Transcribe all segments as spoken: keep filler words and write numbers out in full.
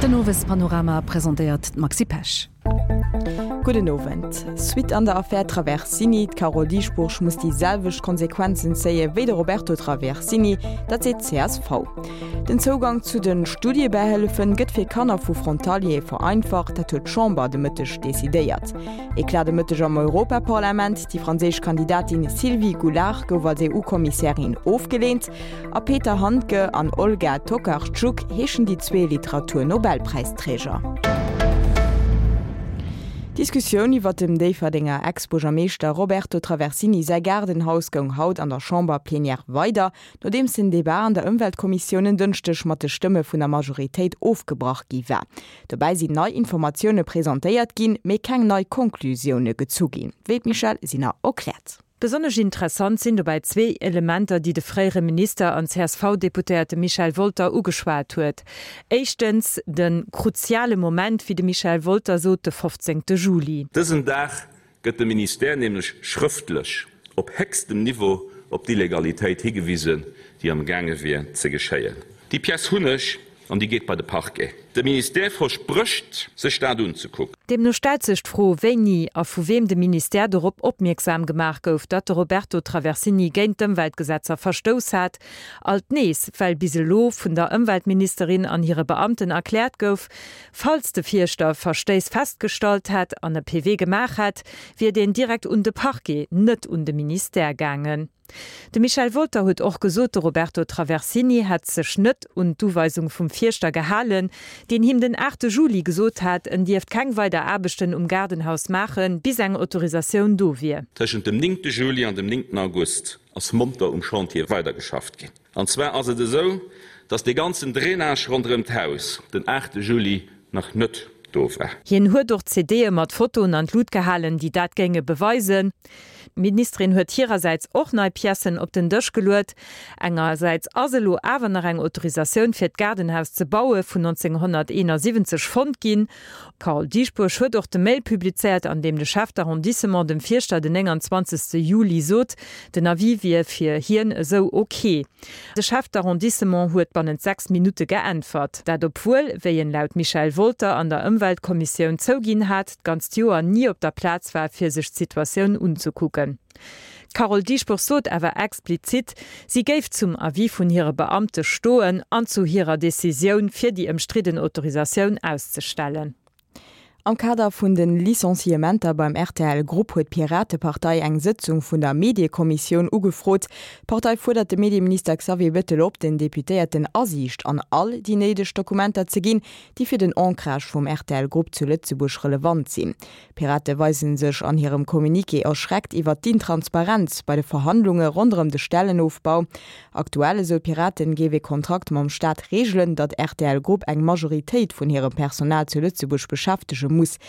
Den Owespanorama presentéiert d'Maxi Pesch. Gudden Owend. Suite an der Affär Traversini, D'Carole Dieschbourg muss déi selwecht Konsequenzen zéie wéi de Roberto Traversini, dat seet d'CSV. Den Zougang zu de Studiebähëllefen gëtt fir Kanner vu Frontaliere vereinfacht, dat huet d'Chamber de Mëtteg decidéiert. Eclat de Mëtteg am Europaparlament, Déi franséisch Kandidatin Sylvie Goulard gouf als EU-Kommissärin ofgeleent a Peter Handke an Olga Tokarczuk heeschen déi zwee Literatur-Nobelpräisträger. D'Diskussioun iwwer dem Déifferdenger Ex-Buergermeeschter Roberto Traversini säi Gaardenhaus goung haut an der Chamber-Plenière weider, nodeems den Debat an der Ëmweltkommissioun en Dënschdeg mat de Stëmme vun der Majoritéit ofgebrach gi war. Dobäi sinn nei Informatioune presentéiert ginn, mee keng nei Konklusioune gezu ginn, wéi d'Michèle Sinner erkläert. Besonnesch interessant sinn dobäi zwee Elementer, déi de fréiere Minister an C S V-Deputéierte Michel Wolter ugeschwat huet. Éischtens de kruziale Moment, wéi de Michel Wolter sot, de fofzéngte Juli. Dësen Dag gëtt de Ministère nämlech schrëftlech op héchstem Niveau op d'Illegalitéit higewisen, déi am gaange wier ze geschéien. Déi Pièce hunn ech an déi geet bei de Parquet. De Ministère versprécht, sech dat unzekucken. Deemno stellt sech d'Fro, wéini a vu weem de Ministère dorop opmierksam gemaach gouf, datt de Roberto Traversini géint d'Ëmweltgesetzer verstouss hat. Alt nees, well bis elo vun der Ëmweltministerin an hire Beamten erkläert gouf, falls de Fierschter Verstéiss festgestallt hätt an e P V gemaach hätt, wier deen direkt un de Parquet, net un de Ministère gaangen. De Michel Wolter huet och gesot, de Roberto Traversini hätt sech net un d'Uweisung vum Fierschter gehalen, deen him den aachte Juli gesot hat, en dierft keng weider Aarbechten um Gaardenhaus maachen, bis eng Autorisatioun do wier. Tëschent dem néngte Juli an dem néngten August ass monter um Chantier weidergeschafft ginn. An zwar ass et esou, dass dee ganzen Drainage ronderëm d'Haus den aachte Juli nach net do war. Hien huet och C D'e mat Fotoen an d'Lut gehalen, déi dat géinge beweisen. D'Ministerin huet hirersäits och nei Piècen op den Dësch geluet. Engersäits ass elo awer nach eng Autorisatioun fir d'Gaardenhaus ze baue vun nonzénghonnerteenasiwwenzeg fonnt ginn. D'Carole Dieschbourg huet och de Mail publizéiert, an deem de Chef d'arrondissement dem Fierschter den nénganzwanzegste Juli sot, den Avis wier fir hien esou ok. De Chef d'arrondissement huet bannent sechs Minutte geäntwert. Dat obwuel, wéi en laut Michel Wolter an der Ëmweltkommissioun zouginn hat, d'ganzt Joer ni op der Plaz war fir sech d'Situatioun unzekucken. D'Carole Dieschbourg sot awer explizit, si géif zum Avis vun hire Beamte stoen an zu hirer Decisioun fir déi ëmstridden Autorisatioun auszestellen. Am Kader vun den Licenciementer beim R T L Grupp huet d'Piratepartei eng Sëtzung vun der Mediekommissioun ugefrot. D'Partei fuerdert de Medieminister Xavier Bettel op, den Deputéierten Asiicht an all déi néideg Dokumenter ze ginn, déi fir den Ancrage vum R T L Grupp zu Lëtzebuerg relevant sinn. D'Pirate weisen sech an hirem Communiqué erschreckt iwwer d'Intransparenz bei de Verhandlunge ronderëm de Stellenofbau. Aktuell, esou d'Piraten, géif e Kontrakt mam Staat reegelen, datt R T L Grupp eng Majoritéit vun hirem Personal zu Lëtzebuerg beschäftege muss.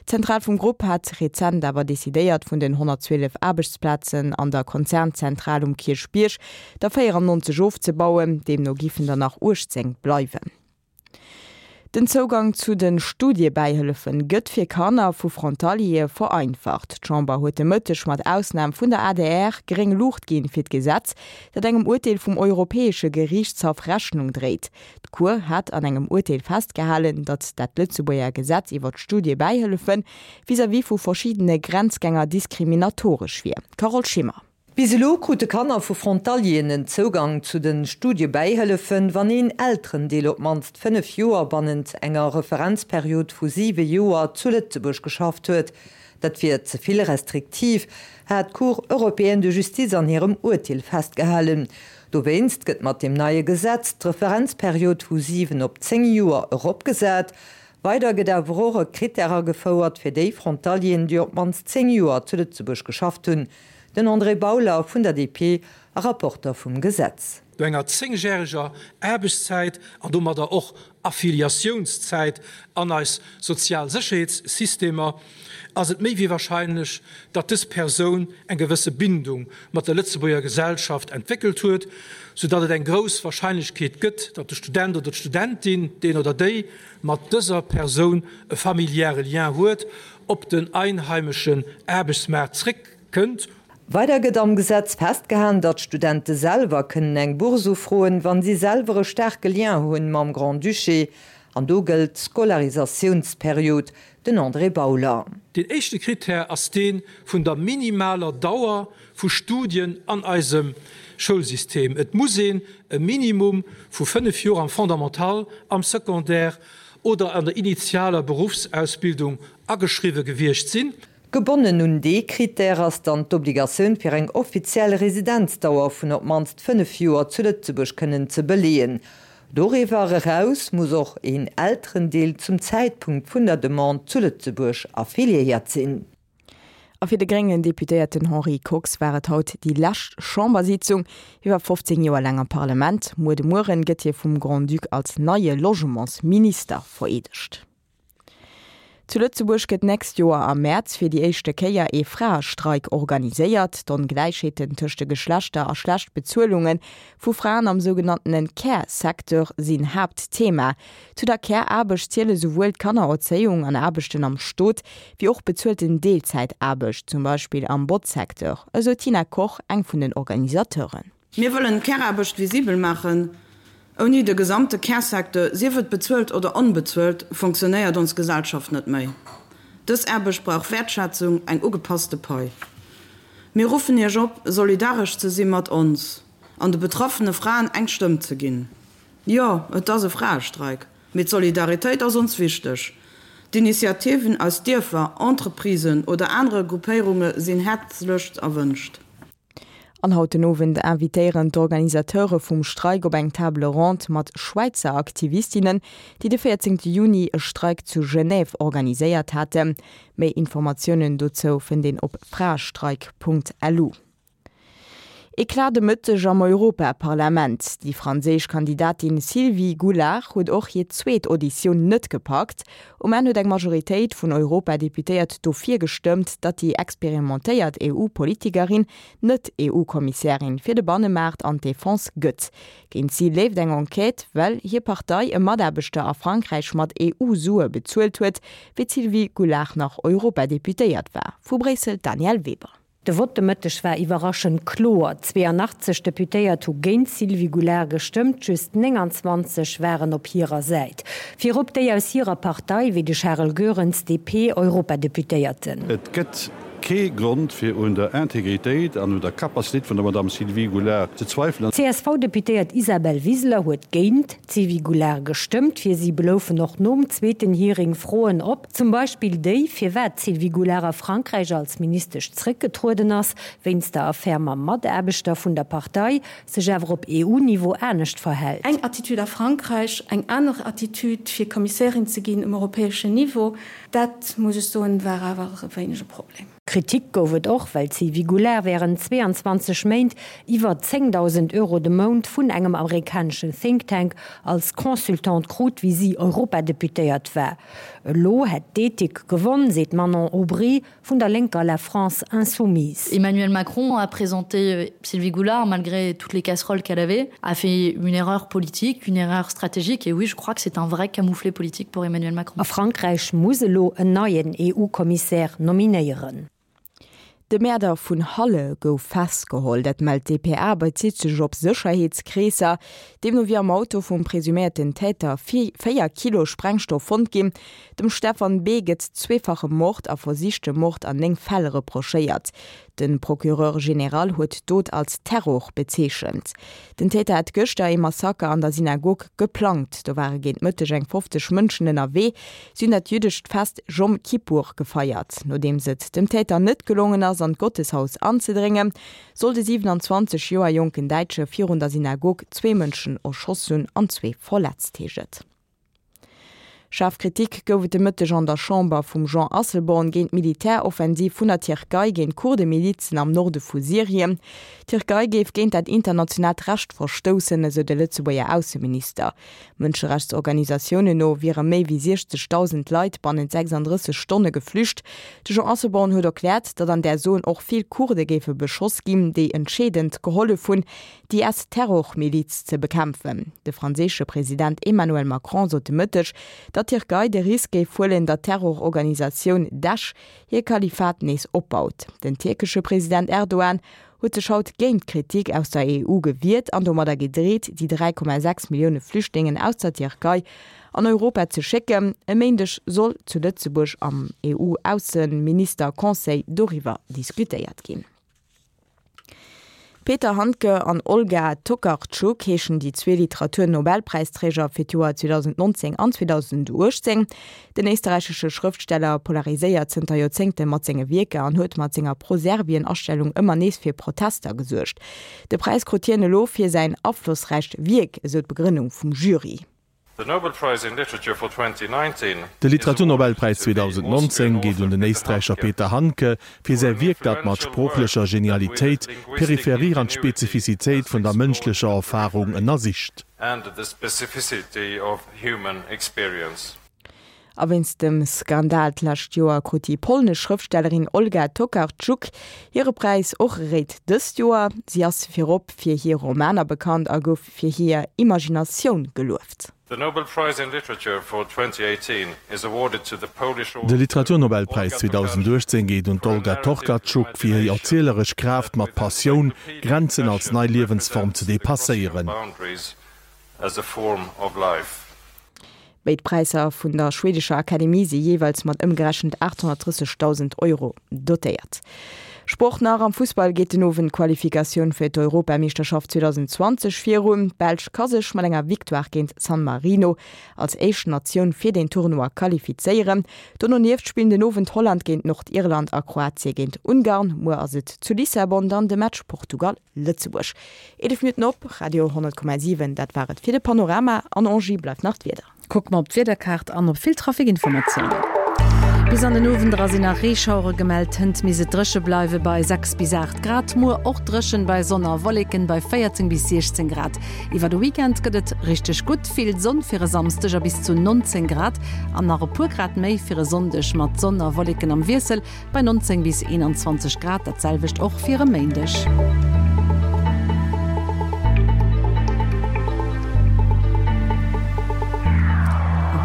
D'Zentral vum Grupp hat rezent awer decidéiert, vun den honnertzwielef Aarbechtsplazen an der Konzernzentral um Kierchbierg der véierannonzeg ofzebauen, deemno géifen der nach uechtzéng bleiwen. Den Zougang zu den Studiebäihëllefen gëtt fir Kanner vu Frontaliere vereinfacht. D'Chamber huet de Mëtteg mat Ausnam vun der A D R gréng Luucht ginn fir d'Gesetz, dat engem Urteel vum Europäesche Geriichtshaff Rechnung dréit. D'Cour hat an engem Urteel festgehalen, datt dat Lëtzebuerger Gesetz iwwer d'Studiebäihëllefen vis-à-vis vu verschiddene Grenzgänger diskriminatoresch wier. Carole Schimmer. Bis elo krute Kanner vu Frontalieren en Zougang zu de Studiebäihëllefen, wann een Elterendeel op d'mannst fënnef Joer bannent enger Referenzperiod vu siwe Joer zu Lëtzebuerg geschafft huet. Dat wier ze vill restriktiv, hat d'Cour européenne de justice an hirem Urteel festgehalen. Dowéinst gëtt mat dem neie Gesetz d'Referenzperiod vu siwen op zéng Joer eropgesat. Weider gëtt awer och e Krittär agefouert fir déi Frontalieren, déi op d'mannst zéng Joer zu Lëtzebuerg geschafft hunn. Den André Bauler vun der D P a Rapporter vum Gesetz. No enger zéngjäreger Aarbechtszäit an domadder och Affiliatiounszäit an eis sozial Sécherheetssystemer ass et méi wéi warscheinlech, datt dës Persoun eng gewësse Bindung mat der Lëtzebuerger Gesellschaft entwéckelt huet, soudatt et eng grouss Warscheinlechkeet gëtt, datt de Student oder d'Studentin, deen oder déi mat dëser Persoun e familiäre Lien huet, op den einheimeschen Aarbechtsmaart zréckkënnt. Weider gëtt am Gesetz festgehalen, datt d'Studente selwer kënnen eng Bourse ufroen, wann si selwer e staarke Lien hunn mam Grand-Duché. An do gëllt d'Scolarisatiounsperiod. Den André Bauler. Deen éischte Krittär ass dee vun der minimaler Dauer vu Studien an eisem Schoulsystem. Et muss een e Minimum vu fënnef Joer am Fondamental, am Secondaire oder an der initialer Beruffsausbildung ageschriwwe gewiescht sinn. Gebonnen un dee Krittär ass dann d'Obligatioun fir eng offiziell Residenzdauer vun op d'mannst fënnef Joer zu Lëtzebuerg kënnen ze beleeën. Doriwwer eraus muss och een Elterendeel zum Zäitpunkt vun der Demande zu Lëtzebuerg affiliéiert sinn. A fir de gréngen Deputéierten Henri Kox war et haut déi lescht Chambersitzung. Hie war fofzéng Joer laang am Parlament. Muer de Mueren gëtt hie vum Grand-Duc als neie Logementsminister vereedegt. Zu Lëtzebuerg gëtt d'nächst Joer am Mäerz fir déi éischte Kéier ee Fraestreik organiséiert. D'Ongläichheeten tëscht de Geschlechter a schlecht Bezuelunge vu Fraen am sougenanntene Care-Secteur sinn Haaptthema. Zu der Care-Aarbecht ziele souwuel d'Kannererzéiung an Aarbechten am Stot, wéi och bezuelten Deelzäitaarbecht, zum Beispill am Botzsecteur, esou d'Tina Koch, eng vun den Organisateuren. Mir wëllen d'Care-Aarbecht visibel maachen. Ouni de gesamte Care-Secteur, sief et bezuelt oder onbezuelt, fonctionnéiert ons Gesellschaft net méi. Dës Aarbecht brauch Wäertschätzung, eng ugepasste Pai. Mir ruffen Iech op, solidaresch ze si mat ons an de betraffene Fraen eng Stëmm ze ginn. Jo, et ass e Fraestreik, mee d'Solidaritéit ass ons wichteg. D'Initiativen aus Dierfer, Entreprisen oder anere Gruppéierunge sinn häerzlechst erwënscht. An haut den Owend invitéieren d'Organisateure vum Streik op eng Table ronde mat Schwäizer Aktivistinnen, déi de véierzéngte Juni e Streik zu Genève organiséiert haten. Méi Informatiounen dozou fënnt een op fraestreik.lu. Eclat de Mëtteg am Europaparlament, Déi franséisch Kandidatin Sylvie Goulard huet och hir zweet Auditioun net gepackt. Um Enn huet eng Majoritéit vun Europadeputéiert dofir gestëmmt, datt déi experimentéiert EU-Politikerin net EU-Kommissärin fir de Bannemaart an d'Defense gëtt. Géint si leeft eng Enquête, well hir Partei e Mataarbechter a Frankräich mat EU-Sue bezuelt huet, wéi d'Sylvie Goulard nach Europadeputéiert war. Vu Bréissel d'Danièle Weber. De Vott de Mëtteg war iwwerraschend kloer, zweeanachtzeg Deputéiert hu géint d'Sylvie Goulard gestëmmt, just nénganzwanzeg waren op hirer Säit. Virop déi aus hirer Partei, wéi de Charel Goerens, D P Europadeputéierten. Et gëtt kee Grond fir un der Integritéit an un der Capacitéit vun der Madame Sylvie Goulard ze zweifelen. D'C S V-Deputéiert Isabel Wiseler huet géint d'Sylvie Goulard gestëmmt. Fir si bloufen och nom zweeten Hearing Froen op, zum Beispill déi, firwat d'Sylvie Goulard a Frankräich als Ministesch zréckgetrueden ass, wéinst der Affär mam Mataarbechter vun der Partei, sech awer op E U-Niveau anescht verhält. Eng Attitude a Frankräich, eng aner Attitude fir Kommissärin ze ginn um europäeschen Niveau, dat, muss ech soen, war awer e wéineg e Problem. Kritik gouf et och, well d'Sylvie Goulard wärend zweeanzwanzeg Méint iwwer zéngdausend Euro de Mount vun engem amerikaneschen Think Tank als Consultante krut, wéi si Europadeputéiert war. Elo hätt d'Ethik gewonn, seet d'Manon Aubry vun der lénker La France Insoumise. Emmanuel Macron a présenté Sylvie Goulard malgré toutes les casseroles qu'elle avait, a fait une erreur politique, une erreur stratégique et oui, je crois que c'est un vrai camouflet politique pour Emmanuel Macron. A Frankräich muss elo en neien E U-Kommissär nominéieren. De Mäerder vun Halle gouf festgeholl, dat mellt d'D P A a bezitt sech op Sécherheetskreesser. Deemno wier am Auto vum presuméierten Täter véier Kilo Sprengstoff fonnt ginn. Dem Stefan B. gëtt zweefache Mord a versichte Mord an néng Fäll reprochéiert. De Procureur général huet d'Dot als Terror bezeechent. Den Täter hat gëschter ee Massaker an der Synagog geplangt. Do ware géint Mëtteg eng fofzeg Mënschen ënnerwee. Si hunn dat jüddescht Fest Jom Kippur gefeiert. Nodeems et dem Täter net gelongen ass, an d'Gotteshaus anzedréngen, soll de siewenanzwanzeg Joer jonken Däitsche virun der Synagog zwee Mënschen erschoss hunn an zwee verletzt, heescht et. Schaarf Kritik gouf et de Mëtteg an der Chamber vum Jean Asselborn géint d'Militäroffensiv vun der Tierkei géint Kurdemilizen am Norde vu Syrien. D'Tierkei géif géint dat internationaalt Recht verstoussen, esou de Lëtzebuerger Ausseminister. Mënscherechtsorganisatiounen no wiere méi wéi siechzegdausend Leit bannent sechsanddrësseg Stonne geflücht. De Jean Asselborn huet erkläert, datt an där Zon och vill Kurde géife beschoss ginn, déi entscheedend gehollef hunn, d'I S-Terrormiliz ze bekämpfen. De franséische President Emmanuel Macron sot de Mëtteg, datt datt d'Tierkei de Risk géif huelen, datt d'Terrororganisatioun Daesh hir Kalifat nees opbaut. Den tierkesche President Erdogan huet sech haut géint d'Kritik aus der E U gewiert an domadder gedreet, déi dräi Komma sechs Millioune Flüchtlingen aus der Tierkei an Europa ze schécken. E Méindeg soll zu Lëtzebuerg am E U-Ausseminister-Conseil doriwwer diskutéiert ginn. Peter Handke an Olga Tokarczuk heeschen déi zwee Literatur-Nobelpräisträger fir d'Joer zweedausendnonzéng an zweedausendachtzéng. Den éisterräichesche Schrëftsteller polariséiert zënter Joerzéngte mat senge Wierker an huet mat senger Pro-Serbien-Astellung ëmmer nees fir Protester gesuergt. De Präis krut hien elo fir säin aflossräicht Wierk, esou d'Begrënnung vum Jury. De Literaturnobelpräis zweedausendnonzéng geet un den Éisträicher Peter Handke fir säi Wierk, dat mat sproochlecher Genialitéit d'Peripherie an d'Spezifizitéit vun der mënschlecher Erfarung ënnersicht. A wéinst dem Skandal d'lescht Joer krut déi polnesch Schrëftstellerin Olga Tokarczuk hire Präis och eréit dëst Joer. Si ass virop fir hir Romaner bekannt a gouf fir hir Imaginatioun gelueft. De Literaturnobelpräis zweedausendachtzéng geet un d'Olga Tokarczuk fir hir erzieleresch Kraaft mat Passioun, Grenzen als nei Liewensform ze depasséieren. Béid Präisser vun der schwedescher Akademie si jeeweils mat ëmgerechent aathonnertdrëssegdausend Euro dotéiert. Sport nach, Am Fussball geet den Owend d'Qualifikatioun fir d'Europameeschterschaft zweedausendzwanzeg virun. D'Belsch ka sech mat enger Victoire géint San Marino als éischt Natioun fir den Tournoi qualifizéieren. Dononieft spillen den Owend Holland géint Nordirland a Kroatie géint Ungarn. Muer ass et zu Lissabon dann de Match Portugal, Lëtzebuerg. Eelef Minutten op Radio honnert Komma siwen, dat war et fir de Panorama. An Angie bleift nach d'Wieder. Kucke mer op d'Wiederkaart an op vill Trafikinformatiounen. Bis an den Owend era sinn nach Reeschauere gemellt, hënt misst et dréche bleiwe bei sechs bis aacht Grad, muer och dréchen bei Sonn a Wolleken bei véierzéng bis siechzéng Grad. Iwwer de Weekend gëtt et richteg gutt, vill Sonn fir e Samsdeg a bis zu nonzéng Grad an nach e puer Grad méi fir e Sonndeg mat Sonn a Wolleken am Wiessel bei nonzéng bis eenanzwanzeg Grad, dat selwecht och fir e Méindeg.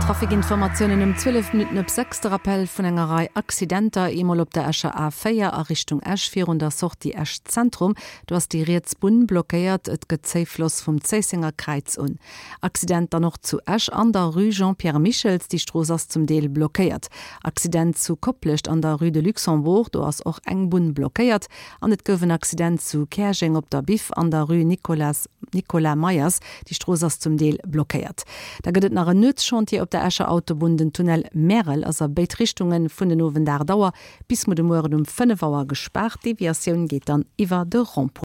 Trafikinformatiounen um zwielef Minutten op sechs, De Rappell vun enger Rei Accidenter, eemol op der Escher A véier a Richtung Esch virun der Sortie Esch Zentrum, do ass déi riets Bunn blockéiert, et gëtt Zéifloss vum Zéissenger Kräiz un. Accident dann och zu Esch an der Rue Jean-Pierre Michels, déi Strooss ass zum Deel blockéiert. Accident zu Koplescht an der Rue de Luxembourg, do ass och eng Bunn blockéiert. An et gouf en Accident zu Käerjeng op der Biff an der Rue Nicolas Nicolas Meyers, déi Strooss ass zum Deel blockéiert. Da gëtt et nach en Nuetschantier op der Escher Autobunn, den Tunnel Märel ass a béid Richtunge vun den Owend aacht Auer bis muer de Mueren um fënnef Auer gespaart. D'Deviatioun geet dann iwwer de Rond-point.